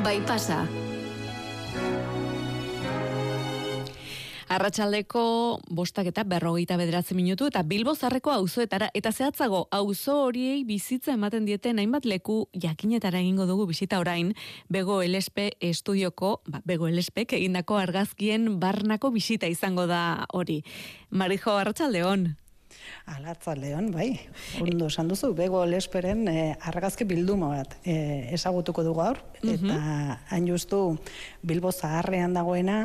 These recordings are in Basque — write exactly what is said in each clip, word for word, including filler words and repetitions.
bai pasa. Arratsaldeko bostak eta berrogeita bederatzi minutu eta Bilbo Zarreko auzoetara eta zehatzago auzo horiei bizitza ematen dieten hainbat leku jakinetara egingo dugu bisita orain Bego Elespe estudioko, ba, Bego Elespek egindako argazkien barnako bisita izango da hori. Marijo, arratsaldeon. Arratsaldeon, bai. Ondo esan duzu, Bego Elesperen eh, argazki bilduma bat eh, ezagutuko dugu gaur, eta uh-huh. hain justu Bilbo Zaharrean dagoena,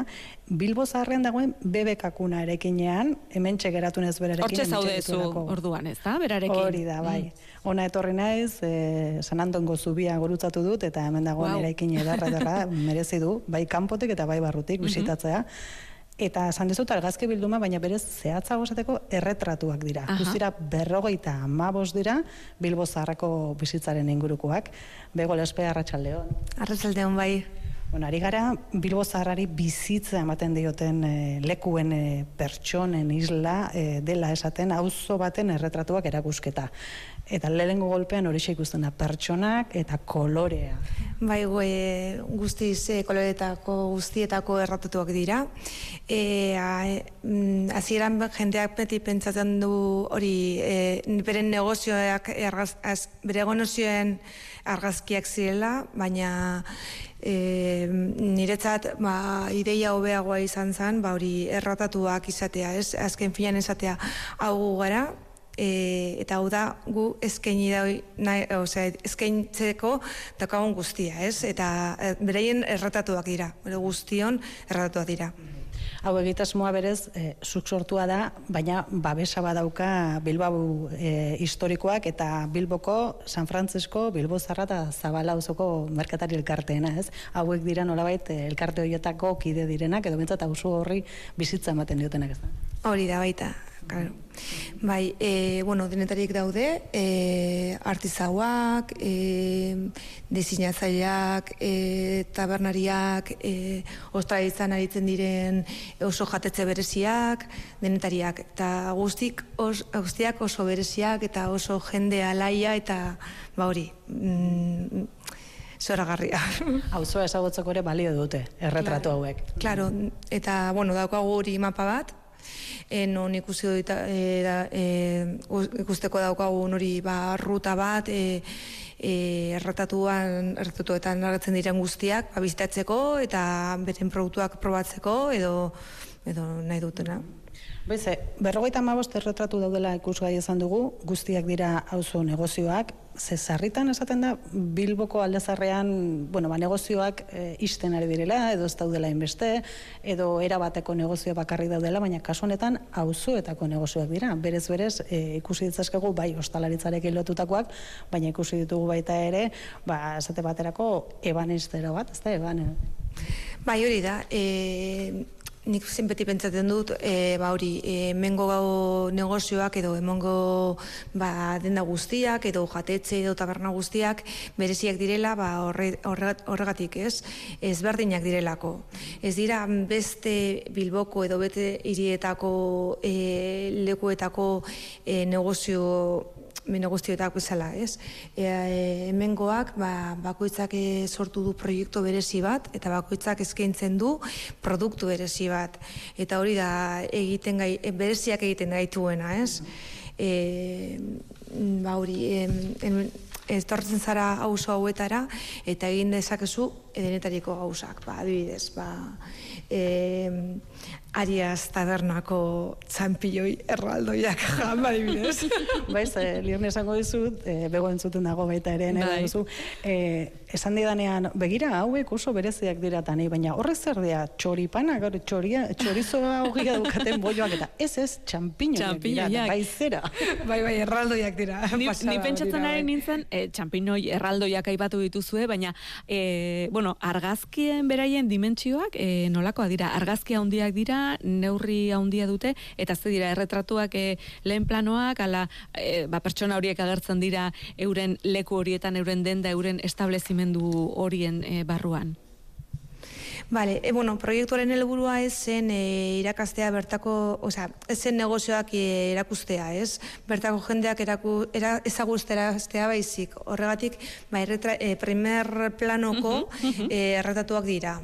Bilbo Zaharrean dagoen bebekakuna erekinean, hementxe geratu nez berarekin. Hortxe zaude zu orduan, ez da, berarekin? Hori da, bai. Mm. Ona etorri naiz, eh, San Antongo zubia gurutzatu dut, eta hemen dagoen wow. erekin edarra edarra merezi du, bai kanpotik eta bai barrutik bisitatzea. Mm-hmm. Eta esan dizut argazki bilduma, baina berez zehatzago esateko erretratuak dira. Guztira berrogeita hamabost dira Bilbo Zaharreko bizitzaren ingurukoak. Bego Elespe, arratsaldeon. Arratsaldeon, bai. Bueno, ari gara Bilbo Zaharrari bizitza ematen dioten e, lekuen e, pertsonen isla e, dela esaten auzo baten erretratuak erakusketa. Eta lehenengo golpean horixe ikusten da pertsonak eta kolorea. Bai, e, guztiz e, koloretako guztietako erratatuak dira. E, Hasieran jendeak beti pentsatzen du hori e, beren negozioak argaz, az, bere negozioen argazkiak zirela, baina e, niretzat ba, ideia hobeagoa izan zen, ba, hori erratatuak izatea, ez? Azken finean esatea hau gara, E, eta hau da gu eskaini da nahi, osea, eskaintzeko daukagun guztia, ez? Eta e, bereien erratatuak dira, bere guztion erratatuak dira. Hau egitasmoa berez, e, zuk sortua da, baina babesa badauka Bilbao e, historikoak eta Bilboko, San Francisco, Bilbo Zaharra eta Zabala auzoko merkatari elkarteena, ez? Hauek dira nolabait elkarte horietako kide direnak, edo bintzat auzo horri bizitza ematen diotenak, ez da? Hori da, baita. Claro. Bai, e, bueno, denetarik daude, e, artizauak, e, diseinatzaileak, e, tabernariak, e, ostralitzan aritzen diren oso jatetze bereziak, denetariak, eta guztik, os, guztiak oso bereziak, eta oso jende alaia, eta ba hori, mm, zoragarria. Auzoa ezagutzeko ere balio dute, erretratu claro, hauek. Claro, eta, bueno, daukagu hori mapa bat, E, non ikusi dut e, e, ikusteko daukagun hori ba, ruta bat e, e, erratatuan erratatuetan argatzen diren guztiak ba, bizitatzeko eta beren produktuak probatzeko edo, edo nahi dutena. Baize, berrogeita hamabost erretratu daudela ikusgai izan dugu, guztiak dira auzo negozioak, ze sarritan esaten da Bilboko aldezarrean, bueno, ba, negozioak e, ixten ari direla, edo ez daudela inbeste, edo erabateko negozio bakarri daudela, baina kasu honetan auzoetako negozioak dira. Berez berez e, ikusi ditzakegu bai ostalaritzarekin lotutakoak, baina ikusi ditugu baita ere, ba esate baterako ebanistero bat, ezta eban. Bai, hori da. E... Nik zenbeti pentsatzen dut, e, ba hori, e, hemengo negozioak edo hemengo ba, denda guztiak edo jatetxe edo taberna guztiak bereziak direla, ba, horre, horre, horregatik ez, ezberdinak direlako. Ez dira beste Bilboko edo bete hirietako e, lekuetako e, negozio negozioetako bezala, ez? E, hemengoak ba, bakoitzak e, sortu du proiektu berezi bat eta bakoitzak eskaintzen du produktu berezi bat. Eta hori da egiten gai, bereziak egiten gaituena, ez? E, ba hori, e, estortzen zara auzo hauetara eta egin dezakezu denetariko gauzak, ba, adibidez, ba, e, Arias tabernako txampilloi erraldoiak jama adibidez. Baiz, eh, lierne esango dizut, eh, bego entzuten dago baita ere, nahi duzu, eh, esan didanean, begira, hauek oso bereziak dira tani, baina horrek zer dira, txoripana, gaur, txoria, txorizoa hogia dukaten bolloak, eta ez ez, txampinoiak dira, bai zera. Bai, bai, erraldoiak dira. Ni, ni pentsatzen ari nintzen, eh, txampinoi erraldoiak aipatu dituzue, baina, eh, bueno, argazkien beraien dimentsioak, eh, nolakoa dira, argazkia handiak dira, neurri handia dute, eta ze dira erretratuak e, lehen planoak, ala e, ba, pertsona horiek agertzen dira euren leku horietan, euren denda, euren establezimendu horien e, barruan. Vale, e, bueno, proiektuaren helburua ez zen e, irakastea bertako, osea, ez zen negozioak e, erakustea, ez? Bertako jendeak eraku, era, ezaguzteraztea baizik. Horregatik, ba, erretra, e, primer planoko e, erretatuak dira.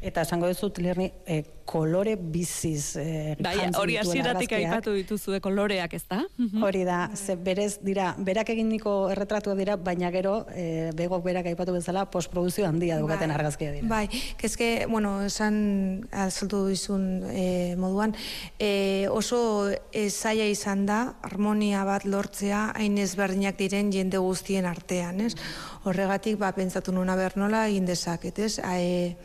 Eta esango dizut, Lerni, eh, kolore biziz eh, bai, hori hasieratik aipatu dituzue koloreak, ez da? Hori da, ze berez dira, berak eginiko erretratua dira, baina gero, eh, begok berak aipatu bezala, postprodukzio handia dukaten bai, argazkia dira. Bai, kezke, bueno, esan azaltu dizun eh, moduan, eh, oso eh, zaila izan da, harmonia bat lortzea, hain ezberdinak diren jende guztien artean, ez? Horregatik, ba, pentsatu nuna bernola egin dezaket, ez? E,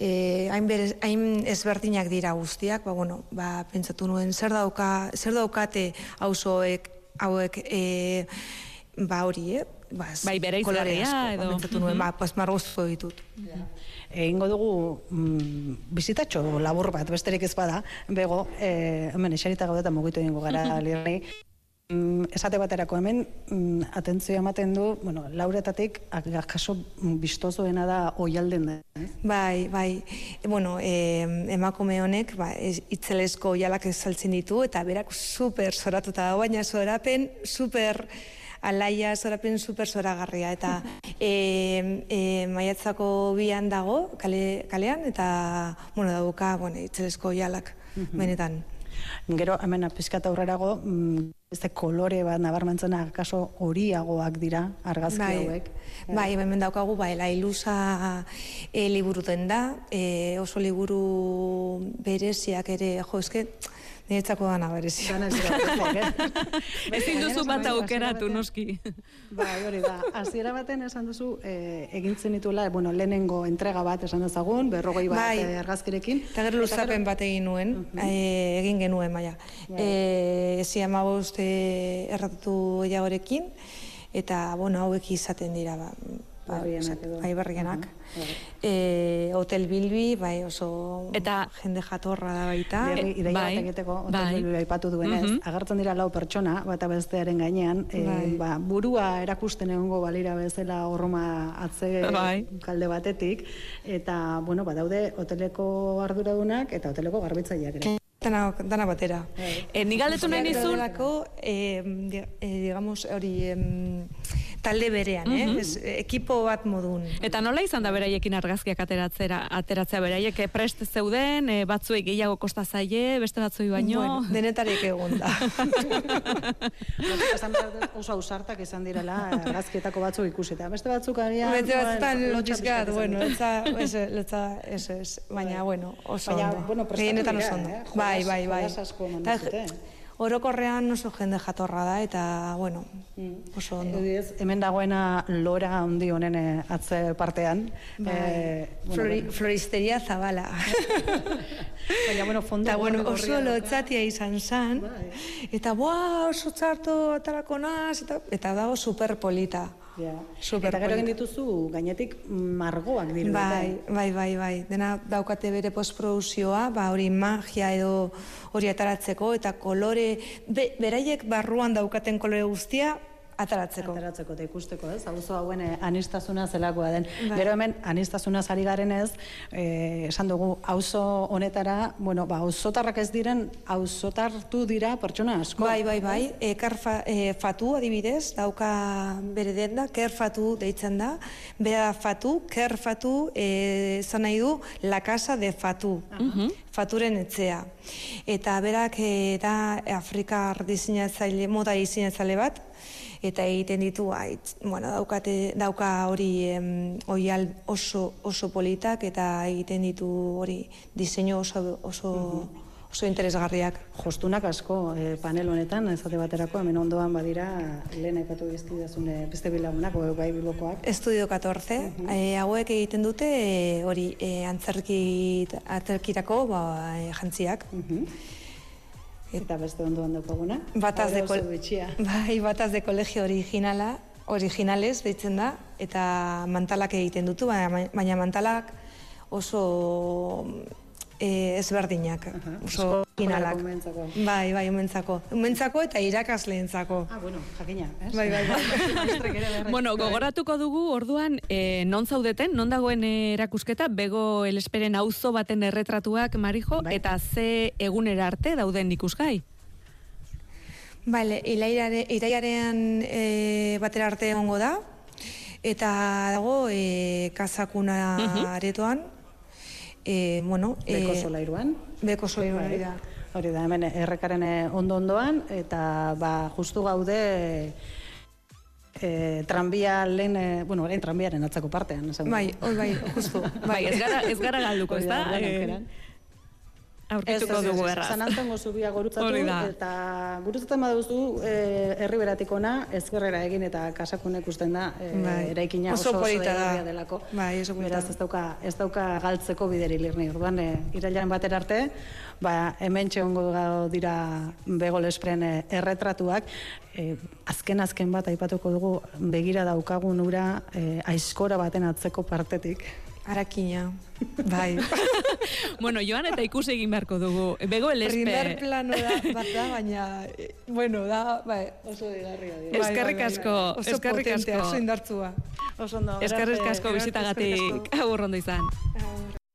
Eh, hain, berez, hain ezberdinak dira guztiak, ba, bueno, ba, pentsatu nuen zer dauka, zer daukate auzoek hauek eh, ba hori, eh? Ba, bai, bere izarria edo. Ba, pentsatu nuen, ba, pas margozko ditut. Ja. Egingo dugu mm, bizitatxo labur bat, besterik ez bada, bego, eh, hemen esarita gaudetan mugitu egingo gara Lerni. Mm, esate baterako hemen, mm, atentzio ematen du, bueno, lauretatik, kaso bistozoena da oialden da. Eh? Bai, bai, e, bueno, e, emakume honek, ba, itzelezko oialak saltzen ditu, eta berak super zoratuta da, baina zorapen super alaia, zorapen super zoragarria, eta e, e, maiatzako bian dago, kale, kalean, eta, bueno, dauka, bueno, itzelezko oialak, benetan. Gero, hemen pizkat aurrerago, beste kolore bat nabarmentzena kaso horiagoak dira argazki bai, hauek. Bai, hemen daukagu, bai, La Ilusa e, liburuten da, e, oso liburu bereziak ere, jo, eske, niretzako dana berezia. Ezin duzu bat aukeratu, noski. Bai, hori da. Hasiera baten esan duzu, eh, egintzen dituela, bueno, lehenengo entrega bat esan dezagun, berrogei bat bai, argazkirekin. Eta gero luzapen bat egin nuen, uh -huh. e, egin genuen, baina. E, Ezi amabost e, erratatu jagorekin, eta, bueno, hauek izaten dira, ba, bai, berrienak. E, Hotel Bilbi, bai, oso eta jende jatorra da baita. Berri, ideia bat egiteko, Hotel bai. Bilbi aipatu duenez, uh -huh. agertzen dira lau pertsona, bata bestearen gainean, e, bai. ba, burua erakusten egongo balira bezala horroma atze bai. kalde batetik, eta, bueno, badaude hoteleko arduradunak eta hoteleko garbitzaileak ere. Dana, dana batera. E, Ni galdetu nahi nizun... E, digamos, hori... Em, talde berean, eh? Uh -huh. Ez, ekipo bat modun. Eta nola izan da beraiekin argazkiak ateratzera, ateratzea beraiek prest zeuden, e, batzuei gehiago kosta zaie, beste batzuei baino? Bueno, denetarik egon da. Oso ausartak izan direla argazkietako batzuk ikusita. Beste batzuk agian... Beste batzutan lotxizkat, bueno, letza, ez, letza, ez, ez, baina, bueno, oso baina, ondo. Bueno, prestatu dira, ondo. eh? Bai, bai, bai. Jolas asko manduzute. Orokorrean oso jende jatorra da, eta, bueno, oso ondo. Ediz, hemen dagoena lora handi honen atze partean. Bai. Eh, bueno, Flori, bueno. Floristeria Zabala. Baina, bueno, fondo eta, bueno, oso gorria, lotzatia izan zan, bai. eta, boa, oso txarto atarako naz, eta, eta dago superpolita. Ja. Eta gero egin dituzu gainetik margoak diru. Bai, bai, bai, bai. Dena daukate bere postprodukzioa, ba hori magia edo hori ataratzeko, eta kolore, be, beraiek barruan daukaten kolore guztia, ataratzeko. Ataratzeko eta ikusteko, ez? Auzo hauen aniztasuna zelakoa den. Bai. Gero hemen aniztasuna ari garenez, eh, esan dugu auzo honetara, bueno, ba auzotarrak ez diren, auzotartu dira pertsona asko. Bai, bai, bai. E, karfa, e, fatu adibidez, dauka bere denda, kerfatu deitzen da. Bera fatu, kerfatu, eh, zan nahi du, la casa de fatu. Uh-huh. Faturen etzea. Eta berak e, da Afrikar diseinatzaile, moda diseinatzaile bat, eta egiten ditu, ait, bueno, daukate, dauka hori em, oial oso, oso politak, eta egiten ditu hori diseinu oso, oso, uh-huh. oso interesgarriak. Jostunak asko eh, panel honetan, ezate baterako, hemen ondoan badira, lehen aipatu biztidazune beste bilagunak, bai bilbokoak. Estudio catorce, uh-huh. e, hauek egiten dute e, hori e, antzerkit, antzerkitako ba, e, jantziak. Uh-huh. Eta beste ondoan daukaguna. Bataz de, bai, bataz de colegio originala, originales deitzen da, eta mantalak egiten dutu, baina, baina mantalak oso e, ezberdinak, oso finalak. Bai, bai, umentzako. Umentzako eta irakasleentzako. Ah, bueno, jakina, ez? Bai, bai, bai. Bueno, gogoratuko dugu, orduan, e, non zaudeten, non dagoen erakusketa, Bego Elesperen auzo baten erretratuak, Marijo, bai. Eta ze egunera arte dauden ikusgai? Bale, iraiaren e, batera arte egongo da, eta dago e, Kasakuna uh-huh. aretoan, e, bueno... Beko solairuan. Beko solairuan, hori da. Hori da, hemen errekaren ondo-ondoan, eta ba, justu gaude e, tranbia lehen, e, bueno, orain tranbiaren atzako partean. Bai, hoi bai, justu. Bai, ez gara, ez gara galduko, ez da? Aurkituko dugu erraz. San Antongo zubia gurutzatu, eta gurutzatzen baduzu eh, herriberatik ona, ezkerrera egin eta Kasakunek usten da eh, bai. Eraikina oso oso egarria delako. Bai, oso Beraz, ez dauka, ez dauka galtzeko bideri lirni. Orduan, eh, irailaren batera arte, ba, hemen txegongo dira Bego Elesperen eh, erretratuak, eh, azken-azken bat aipatuko dugu begira daukagun ura eh, aizkora baten atzeko partetik. Arakina, bai. Bueno, joan eta ikusi egin beharko dugu. Bego Elespe... Primer plano da, bat da, baina, bueno, da, bai, oso digarria. Eskerrik asko, eskerrik asko. Oso indartzua. Oso ondo. Eskerrik asko bizitagatik, agur ondo izan.